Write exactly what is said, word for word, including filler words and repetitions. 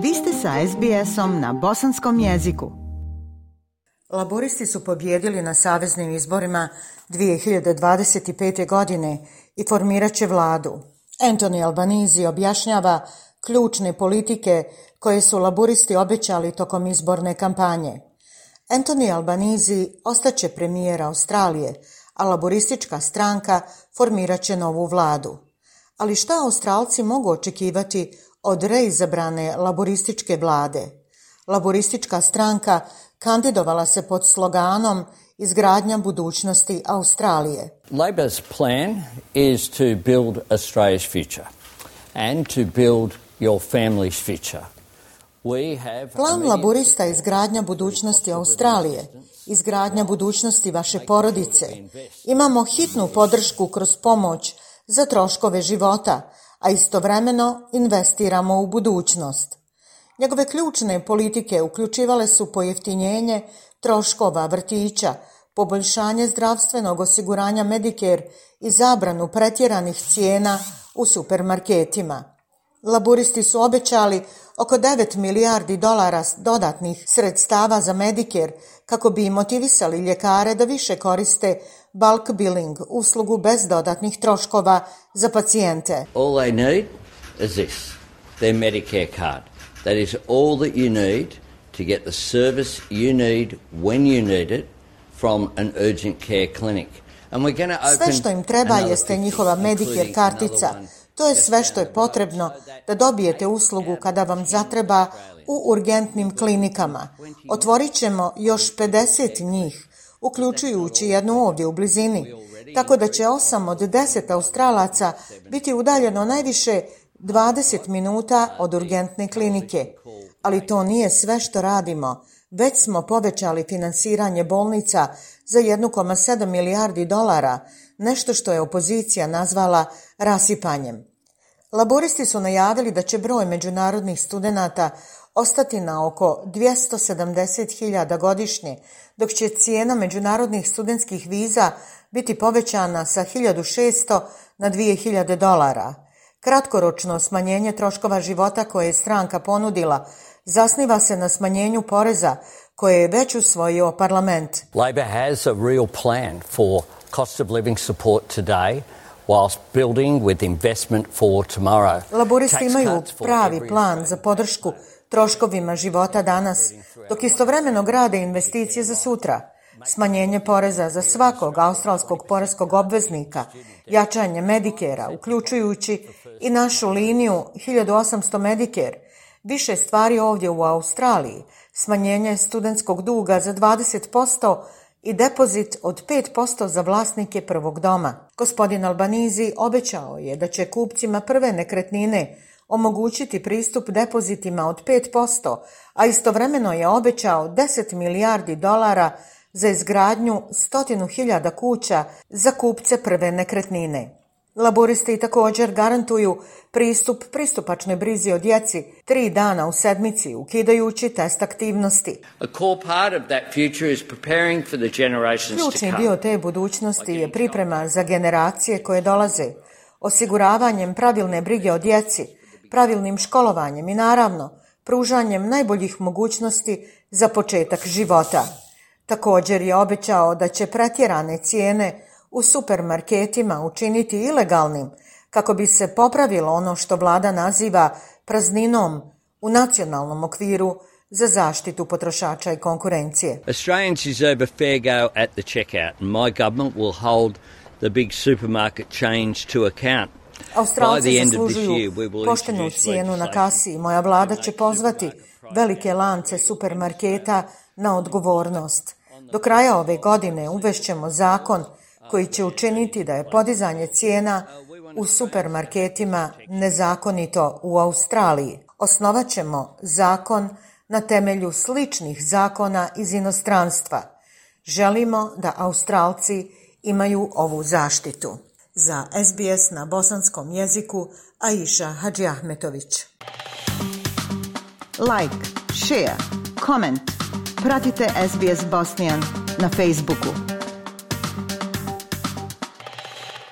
Vi ste sa es bi esom na bosanskom jeziku. Laboristi su pobijedili na saveznim izborima dvije hiljade dvadeset pete. godine i formirat će vladu. Anthony Albanese objašnjava ključne politike koje su laboristi obećali tokom izborne kampanje. Anthony Albanese ostaće premijer Australije, a laboristička stranka formirat će novu vladu. Ali šta Australci mogu očekivati od reizabrane laborističke vlade? Laboristička stranka kandidovala se pod sloganom Izgradnja budućnosti Australije. Labor's plan is to build Australia's future and to build your family's future. We have Plan laborista je izgradnja budućnosti Australije, izgradnja budućnosti vaše porodice. Imamo hitnu podršku kroz pomoć za troškove života, a istovremeno investiramo u budućnost. Njegove ključne politike uključivale su pojeftinjenje troškova vrtića, poboljšanje zdravstvenog osiguranja Medicare i zabranu pretjeranih cijena u supermarketima. Laburisti su obećali oko devet milijardi dolara dodatnih sredstava za Medicare kako bi motivisali ljekare da više koriste bulk billing, uslugu bez dodatnih troškova za pacijente. all they need is this, their Medicare card. That is all that you need to get the service you need when you need it from an urgent care clinic. And we're going to open Sve što im treba jeste njihova Medicare kartica. To je sve što je potrebno da dobijete uslugu kada vam zatreba u urgentnim klinikama. Otvorit ćemo još pedeset njih, uključujući jednu ovdje u blizini, tako da će osam od deset Australaca biti udaljeno najviše dvadeset minuta od urgentne klinike. Ali to nije sve što radimo. Već smo povećali finansiranje bolnica za jedan zarez sedam milijardi dolara, nešto što je opozicija nazvala rasipanjem. Laboristi su najavili da će broj međunarodnih studenata ostati na oko dvjesto sedamdeset hiljada godišnje, dok će cijena međunarodnih studentskih viza biti povećana sa hiljadu šesto na dvije hiljade dolara. Kratkoročno smanjenje troškova života koje je stranka ponudila zasniva se na smanjenju poreza koje je već usvojio parlament. Labor has a real plan for cost of living support today whilst building with investment for tomorrow. Laboristi imaju pravi plan za podršku troškovima života danas, dok istovremeno grade investicije za sutra. Smanjenje poreza za svakog australskog poreskog obveznika, jačanje Medicare-a, uključujući i našu liniju hiljadu osamsto Medicare, više stvari ovdje u Australiji, smanjenje studentskog duga za dvadeset posto i depozit od pet posto za vlasnike prvog doma. Gospodin Albanese obećao je da će kupcima prve nekretnine omogućiti pristup depozitima od pet posto, a istovremeno je obećao deset milijardi dolara za izgradnju stotinu hiljada kuća za kupce prve nekretnine. Laboristi također garantuju pristup pristupačnoj brizi o djeci tri dana u sedmici, ukidajući test aktivnosti. Ključni dio te budućnosti je priprema za generacije koje dolaze, osiguravanjem pravilne brige o djeci, pravilnim školovanjem i naravno pružanjem najboljih mogućnosti za početak života. Također je obećao da će pretjerane cijene u supermarketima učiniti ilegalnim kako bi se popravilo ono što vlada naziva prazninom u nacionalnom okviru za zaštitu potrošača i konkurencije. Australians deserve a fair go at the checkout and my government will hold the big supermarket chains to account. Australci zaslužuju poštenu cijenu na kasi i moja vlada će pozvati velike lance supermarketa na odgovornost. Do kraja ove godine uvešćemo zakon koji će učiniti da je podizanje cijena u supermarketima nezakonito u Australiji. Osnovat ćemo zakon na temelju sličnih zakona iz inostranstva. Želimo da Australci imaju ovu zaštitu. Za es bi es na bosanskom jeziku Aisha Hadžiahmetović. Like, share, comment. Pratite es bi es Bosnian na Facebooku.